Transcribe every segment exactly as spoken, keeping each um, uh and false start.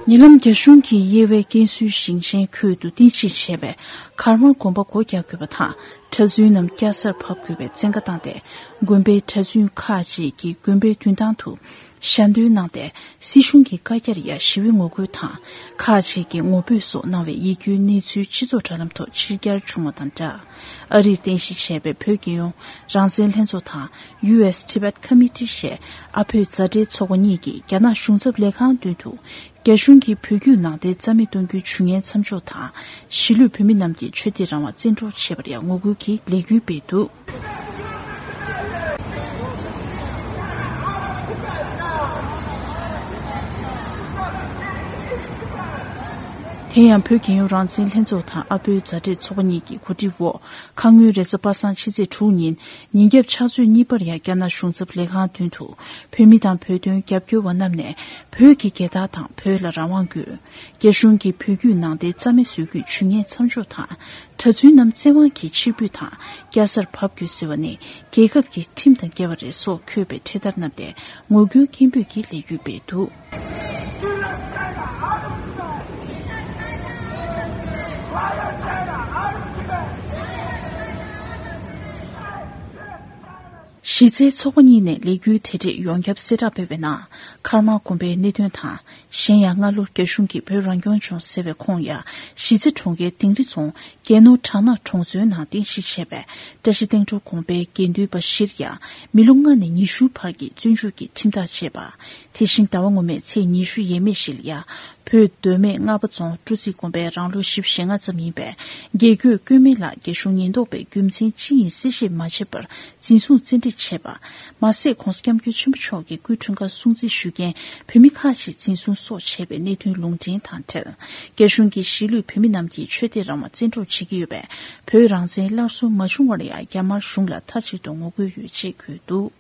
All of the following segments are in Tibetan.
ཉེ་ལམ་རྒྱ་གཞུང་གིས་དབྱེ་བའི་ཀན་སུའུ་ཞིང་ཆེན་ཁུལ་དུ་རྟེན་གཞི་བྱས་པའི་ཀརྨ་དགོན་པ་སྒོ་རྒྱག་དགོས་པ་དང་། གྲྭ་བཙུན་རྣམས་སྐྱ་སར་བབས་དགོས་པའི་བཙན་བཀའ་བཏང་སྟེ། དགོན་པའི་གྲྭ་བཙུན་ཁག་ཅིག་གིས་དགོན་པའི་མདུན་ཐང་དུ་ཞལ་འདོན་གནང་སྟེ། སྲིད་གཞུང་གི་བཀའ་རྒྱར་ཡང་ཞི་བའི་ངོ་རྒོལ་དང་། ཁག་ཅིག་གིས་ངོ་རྒོལ་སོགས་གནང་བའི་ཡིད་སྐྱོའི་གནས་ཚུལ་སྤྱི་ཚོགས་དྲ་ལམ་ཐོག་ཕྱིར་གྱར་བྱུང་བ་དང་སྦྲགས། ཨ་རིར་རྟེན་གཞི་བྱས་པའི་བོད་རྒྱལ་ཡོངས་རང་བཙན་ལྷན་ཚོགས་དང་། ཡུ་ཨེས་ཊི་བེཊ་ཁོ་མི་ཊི་ཞེས་ཨ་བོད་མཛའ་འབྲེལ་ཚོགས་པ་གཉིས་ཀྱིས་རྒྱ་ནག་གཞུང་ཚབ་ལས་ཁང་མདུན་དུ། རྒྱ་གཞུང་གིས་བོད་བརྒྱུད་ནང་བསྟན་རྩ་མེད་གཏོང་རྒྱུའི་ཇུས་ངན་མཚམས་འཇོག་དང་། གཞིས་ལུས་བོད་མི་རྣམས་ཀྱི་ཆོས་དད་རང་དབང་བཙན་འཕྲོག་བྱས་པར་ཡང་ངོ་རྒོལ་གྱི་ལས་འགུལ་སྤེལ་འདུག། དེ་ཡང་བོད་རྒྱལ་ཡོངས་རང་བཙན་ལྷན་ཚོགས་དང་ཨ་བོད་མཛའ་འབྲེལ་ཚོགས་པ་གཉིས་ཀྱི་གོ་སྒྲིག་འོག་ཁ་སྔོན་རེས་གཟའ་པ་སངས་ཕྱི་ཚེས་དྲུག་ཉིན། ཉིན་རྒྱབ་ཕྱག་ཚོད་གཉིས་པར་ཡང་རྒྱ་ནག་གཞུང་ཚབ་ལས་ཁང་མདུན་དུ་བོད་མི་དང་བོད་དོན་རྒྱབ་སྐྱོར་བ་རྣམས་ནས་བོད་ཀྱི་རྒྱལ་དར་དང་བོད་ལ་རང་དབང་དགོས། རྒྱ་གཞུང་གིས་བོད་བརྒྱུད་ནང་བསྟན་རྩ་མེད་བཟོ་རྒྱུའི་ཇུས་ངན་མཚམས་འཇོག་དང་། གྲྭ་བཙུན་རྣམས་བཙན་དབང་གིས་ཕྱིར་འབུད་དང་སྐྱ་སར་བབས་དགོས་ཟེར་བ་ནི་རྒྱལ་ཁབ་ཀྱི་ཁྲིམས་དང་འགལ་བ་རེད་སོགས་འཁོད་པའི་འཕྲེད་དར་བསྣམས་ཏེ་ངོ་རྒོལ་སྐད་འབོད་ཀྱི་ལས་འགུལ་སྤེལ་འདུག། གཞི་རྩའི་ཚོགས་པ་གཉིས་ནས་ལས་འགུལ་དེ་འཕྲལ་ཡོངས་ཁྱབ་གསལ་བསྒྲགས་སྤེལ་བའི་ནང་། ཀརྨ་དགོན་པའི་གནད་དོན་དང་། གཞན་ཡང་སྔ་ལོར་རྒྱ་གཞུང་གིས་བོད་རང་སྐྱོང་ལྗོངས་ཟེར་བའི་ཁོངས་ཡ་གཞིས་རྩེ་གྲོང་ཁྱེར་དིང་རི་རྫོང་རྒྱལ་ནོར་བྲག་ནག་གྲོང་ཚོའི་ནང་རྟེན་གཞི་བྱས་པའི་བཀྲ་ཤིས་སྟེང་འགྲོ་དགོན་པའི་དགེ་འདུན་པ་བཞིར་ཡང་མི་ལོ་ལྔ་ནས་ཉི་ཤུ་བར་གྱི་བཙོན་འཇུག་གི་ཁྲིམས་ཐག་བཅད་པ། དེ་བཞིན་ཟླ་བ་སྔོན་མའི་ཚེས་ཉི་ཤུ་ཡས་མས་བཞི་ལ་ཡ། བོད་མདོ་སྨད་རྔ་པ་རྫོང་སྤྲོ་ཚིགས་དགོན་པའི་རང་ལོ་བཞི་བཅུ་ཞེ་ལྔ་ཙམ་ཡིན་པའི་དགེ་བསྐོས་ཀུན་སྨན་ལགས་རྒྱ་གཞུང་ཉེན་རྟོག་པས་རྒྱུ་མཚན་ཅི་ཡིན་གསལ་བཤད་མ་བྱས་པར་འཛིན་བཟུང་བཙན་ཁྲིད་བྱས་པ། མ་ཟད་༸གོང་ས་༸སྐྱབས་མགོན་ཆེན་པོ་མཆོག་གི་སྐུའི་འཁྲུངས་སྐར་སྲུང་བརྩི་ཞུ་མཁན་བོད་མི་ཁག་ཅིག་འཛིན་བཟུང་སོགས་བྱས་པའི་གནད་དོན་ལུང་འདྲེན་དང་འབྲེལ། རྒྱ་གཞུང་གིས་གཞིས་ལུས་བོད་མི་རྣམས་ཀྱི་ཆོས་དད་རང་དབང་བཙན་འཕྲོག་བྱེད་ཀྱི་ཡོད་པས། བོད་རང་བཙན་སླར་གསོ་མ་བྱུང་བར་ཡང་རྒྱ་དམར་གཞུང་ལ་མཐའ་གཅིག་ཏུ་ངོ་རྒོལ་ཡོད་ཅེས་འཁོད་འདུག།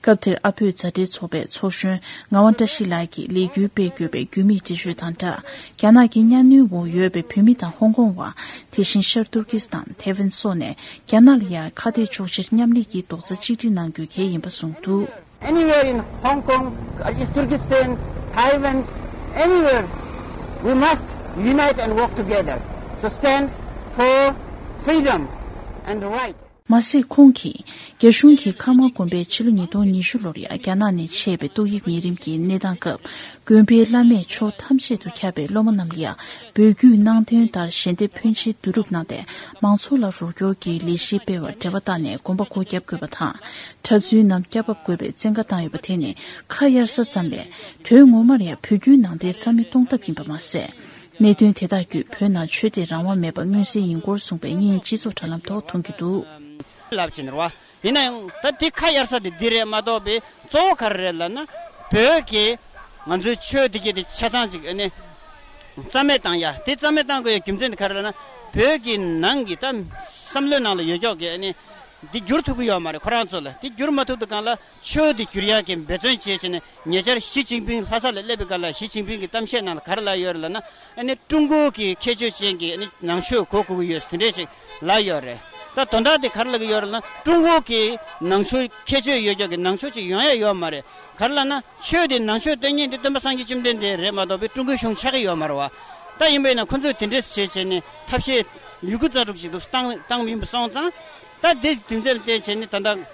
སྐབས་དེར་ཨ་བོད་མཛའ་འབྲེལ་ཚོགས་པའི་ཚོགས་གཞོན་ངག་དབང་བཀྲ་ཤིས་ལགས་ཀྱིས་ལས་འགུལ་སྤེལ་དགོས་པའི་རྒྱུ་མིག་འགྲེལ་བརྗོད་དང་སྦྲགས། རྒྱ་ནག་གི་གཉའ་གནོན་འོག་ཡོད་པའི་བོད་མི་དང་ཧོང་ཀོང་བ། དེ་བཞིན་ཤར་ཏུར་ཀི་སི་ཐན། ཐེ་ཝན་སོགས་ནས་རྒྱ་ནག་ལ་ཡང་ཁ་གཏད་གཅོག་ཕྱིར་མཉམ་ལས་ཀྱི་རྡོག་རྩ་གཅིག་སྒྲིལ་གནང་དགོས་གལ་ཡིན་པ་གསུངས་འདུག། Anywhere in Hong Kong, or East Turkestan, Taiwan, anywhere, we must unite and work together to stand for freedom and right. མ་ཟད་ཁོང་གིས་རྒྱ་གཞུང་གིས་ཀརྨ་དགོན་པའི་ཕྱི་ལོ་ཉིས་སྟོང་ཉི་ཤུ་ལོར་ཡང་རྒྱ་ནག་ནས་ཆད་པའི་ཏོག་དབྱིབས་ནད་རིམས་ཀྱི་གནས་སྟངས་སྐབས། དགོན་པའི་བླ་མས་ཕྱོགས་ཐམས་ཅད་དུ་ཁྱབ་པའི་སློབ་མ་རྣམས་ལ་ཡང་བོད་བརྒྱུད་ནང་བསྟན་ལྟར་ཞལ་འདེབས་ཕོན་ཆེ་བསྡུ་རུབ་གནང་སྟེ། མང་ཚོགས་ལ་རོགས་སྐྱོར་གྱི་ལས་གཞི་སྤེལ་བར་འབྲེལ་བ་བཏང་ནས་དགོན་པ་སྒོ་བརྒྱབ་དགོས་པ་དང་། གྲྭ་བཙུན་རྣམས་སྐྱ་བབས་དགོས་པའི་བཙན་བཀའ་བཏང་ཡོད་པ་དེ་ནི་ཁ་གཡར་ས་ཙམ་ལས། དོན་ངོ་མར་ཡང་བོད་བརྒྱུད་ནང་བསྟན་རྩ་མེད་གཏོང་ཐབས་ཡིན་པ་མ་ཟད། གནད་དོན་དེ་དག་བརྒྱུད་བོད་ནང་ཆོས་དད་རང་དབང་མེད་པ་མངོན་གསལ་ཡིན་སྐོར་གསུངས་པའི་བརྙན་སྤྱི་ཚོགས་དྲ་ལམ་ཐོག་མཐོང་རྒྱུ་འདུག། ལབ་ཕྱིན་རེད་བ། ཡིན་ན་ཡང་ད་དེ་ཁ་གཡར་ས་དེ་འདི་རེད་མ་གཏོགས་པའི་གཙོ་བོ་ག་རེ་རེད་ལབ་ན། བོད་ཀྱི་ང་ཚོའི་ཆོས་འདི་གྱད་དེ་ཆ་ཚང་ཅིག་ཨ་ནི་རྩ་མེད་བཏང་ཡ། དེ་རྩ་མེད་བཏང་དགོས་ཡ་རྒྱུ་མཚན་དེ་ག་རེ་ལབ་ན། བོད་ཀྱི་ནང་གི་ད་བསམ་བློའི་ནང་ལ་ཡོད་ཀྱོག་གི་ཨ་ནི་འདི་བསྒྱུར་ཐུབ་ཀྱི་ཡོད་མ་རེད། ཁོ་རང་ཚོ་ལ་འདི་བསྒྱུར་མ་ཐུབ་དུས་སྒང་ལ། ཆོས་འདི་བསྒྱུར་ཡག་གི་འབད་བརྩོན་བྱས་བྱས་ནས། ཉེ་ཆར་ཞི་ཅིན་ཕིང་ལྷ་ས་ལ་སླེབས་པའི་སྐབས་ལ་ཞི་ཅིན་ཕིང་གི་གཏམ་བཤད་ནང་ལ་ག་རེ་ལབ་ཡོད་རེད་ལབ་ན། ཨ་ནི་ཀྲུང་གོ་གི་ཁྱད་ཆོས་ཅན་གྱི་ཨ་ནི་ནང་ཆོས་གོ་དགོས་ཀྱི་ཡོད་ཟེར་དེ་འདྲས་ཞིག་ལབ་ཡོད་རེད། ད་དོན་དག་དེ་ག་རེ་ལབ་ཀྱི་ཡོད་རེད་ལབ་ན། ཀྲུང་གོ་གི་ནང་ཆོས་ཁྱད་ཆོས་ཡོད་ཀྱོག་གི་ནང་ཆོས་ཅིག་ཡོང་ཡ་ཡོད་མ་རེད། ག་རེ་ལབ་ན། ཆོས་དེ་ནང་ཆོས་སྟོན་མཁན་དེ་སྟོན་པ་སངས་རྒྱས་བཅོམ་ལྡན་འདས་རེད་མ་གཏོགས་པའི་ཀྲུང་གོའི་གཞུང་ཆགས་ཀྱི་ཡོད་མ་རེད་བ། ད་ཡིན་པས་ན་ཁོ་ཚོས་དེ་འདྲས་བྱས་བྱས་ནས་ཐབས་ཤེས་ཡོད་རྒུ་རྩལ་སྤྲུགས་ཅིག་འདུག་བཏང་བཏང་ཡིན་པ་སོང་ཙང་། ད་དེ་རྒྱུ་མཚན་ལ་བརྟེན་བྱས་ནས་ད་ལྟ།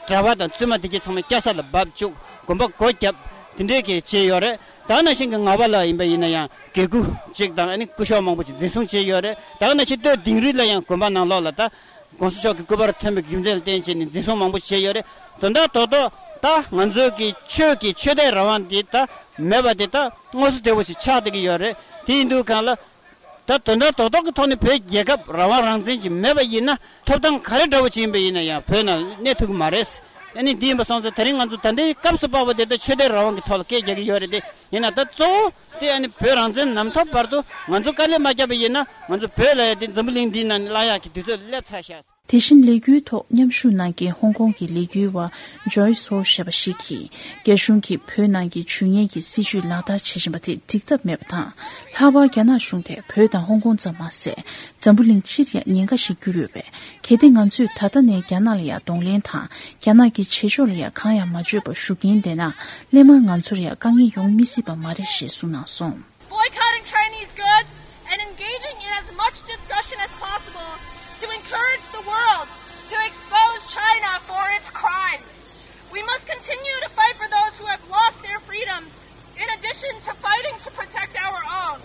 གྲྭ་པ་དང་བཙུན་མ་དེ་གྱད་ཚང་མ་སྐྱ་ས་ལ་བབས་བཅུག་དགོན་པ་སྒོ་བརྒྱབ། དེ་འདྲའི་གི་བྱས་ཡོད་རེད། ད་ནང་བཞིན་གྱི་ངག་དབང་ལགས་ཡིན་པ་ཡིན་ན་ཡང་དགེ་བསྐོས་གཅིག་དང་ཨ་ནི་སྐུ་ཞབས་མང་པོ་ཅིག་འཛིན་བཟུང་བྱས་ཡོད་རེད། ད་ག་ནང་བཞིན་སྟོད་དིང་རི་ལ་ཡང་དགོན་པ་ནང་ལོགས་ལ་ད་༸གོང་ས་མཆོག་གི་སྐུ་པར་ཐོན་པའི་རྒྱུ་མཚན་ལ་བརྟེན་བྱས་ནས་འཛིན་བཟུང་མང་པོ་བྱས་ཡོད་རེད། དོན་དག་རྡོག་རྡོག་ད་ང་ཚོའི་གི་ཆོས་ཀྱི་ཆོས་དད་རང་དབང་འདི་ད་མེད་པ་དེ་ད་དངོས་སུ་བདེ་བོ་ཞིག་ཆགས་བསྡད་ཀྱི་ཡོད་རེད། དེ་ཡིན་དུས་སྒང་ལ། ད་དོན་དག་རྡོག་རྡོག་གི་ཐོག་ནས་བོད་རྒྱལ་ཁབ་རང་དབང་རང་བཙན་ཅིག་མེད་པ་ཡིན་ན། ཐོབ་ཐང་ག་རེ་འདྲ་བོ་ཅིག་ཡིན་པ་ཡིན་ན་ཡང་བོད་ནང་གནས་ཐུབ་ཀྱི་མ་རེད། ཨ་ནི་འདི་ཡིན་པ་སོང་ཙང་དེ་རིང་ང་ཚོ་ད་ལྟའི་སྐབས་སུ་བབས་པ་དེ་ལྟར་ཆོས་དད་རང་དབང་གི་ཐོག་ལ་སྐད་རྒྱག་གི་ཡོད་རེད་དེ། ཡིན་ན་ད་གཙོ་བོ་དེ་ཨ་ནི་བོད་རང་བཙན་ནམ་ཐོབ་བར་དུ་ང་ཚོ་དཀའ་ལས་མ་བརྒྱབ་པ་ཡིན་ན། ང་ཚོ་བོད་ལབ་ཡ་དེ་འཛམ་བུ་གླིང་འདིའི་ནང་ནས་བརླག་ཡག་གི་དུས་ཚོད་སླེབས་ཚར་ཤག་དེ་བཞིན་ལས་འགུལ་ཐོག་མཉམ་ཞུགས་གནང་མཁན་ཧོང་ཀོང་གི་ལས་འགུལ་བ་ཇོའི་སོ་ཞེས་པ་ཞིག་གིས། རྒྱ་གཞུང་གིས་བོད་ནང་གི་ཇུས་ངན་གྱི་སྲིད་བྱུས་ལག་བསྟར་བྱེད་བཞིན་པ་དེ་འགྲིག་ཐབས་མེད་པ་དང་། ལྷག་པར་རྒྱ་ནག་གཞུང་དེ་བོད་དང་ཧོང་ཀོང་ཙམ་མ་ཟད། འཛམ་བུ་གླིང་སྤྱིར་ཡང་ཉེན་ཁ་ཞིག་གྱུར་ཡོད་པས། གལ་ཏེ་ང་ཚོས་ད་ལྟ་ནས་རྒྱ་ནག་ལ་ཡང་གདོང་ལེན་དང་། རྒྱ་ནག་གི་བྱེད་ཕྱོགས་ལ་ཡང་གང་ཡང་མ་བརྗོད་པར་བཞུགས་ཀྱིན་བསྡད་ན། སླད་མར་ང་ཚོར་ཡང་དཀའ་ངལ་ཡོང་མི་སྲིད་པ་མ་རེད་ཞེས་གསུངས་གནང་སོང་། Boycotting Chinese goods and engaging in as much discussion as possible to encourage the world to expose China for its crimes. We must continue to fight for those who have lost their freedoms, in addition to fighting to protect our own.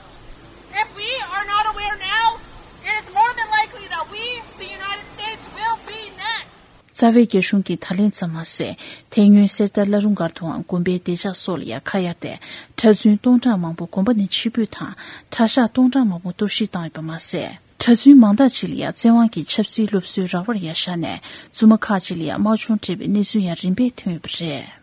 If we are not aware now, it is more than likely that we, the United States, will be next. རྩ་བའི་རྒྱ་གཞུང་གིས་ད་ལན་ཙམ་མ་ཟད། དེ་སྔོན་གསེར་རྟ་བླ་རུང་སྒར་དུའང་དགོན་པའི་བདེ་འཇགས་སོགས་ལ་ཡང་ཁ་གཡར་ཏེ། གྲྭ་བཙུན་སྟོང་ཕྲག་མང་པོ་དགོན་པ་ནས་ཕྱིར་འབུད་དང་། གྲྭ་ཤག་སྟོང་ཕྲག་མང་པོ་གཏོར་བཤིག་བཏང་ཡོད་པ་མ་ཟད། གྲྭ་བཙུན་མང་དག་ཅིག་ལ་ཡང་བཙན་དབང་གིས་ཆབ་སྲིད་སློབ་གསོའི་རག་པར་ཡང་བཞག་ནས། བཙུན་མ་ཁག་ཅིག་ལ་ཡང་དམག་སྦྱོང་སྤྲད་པའི་གནས་ཚུལ་ཡང་རིམ་པས་ཐོན་ཡོད་པ་རེད།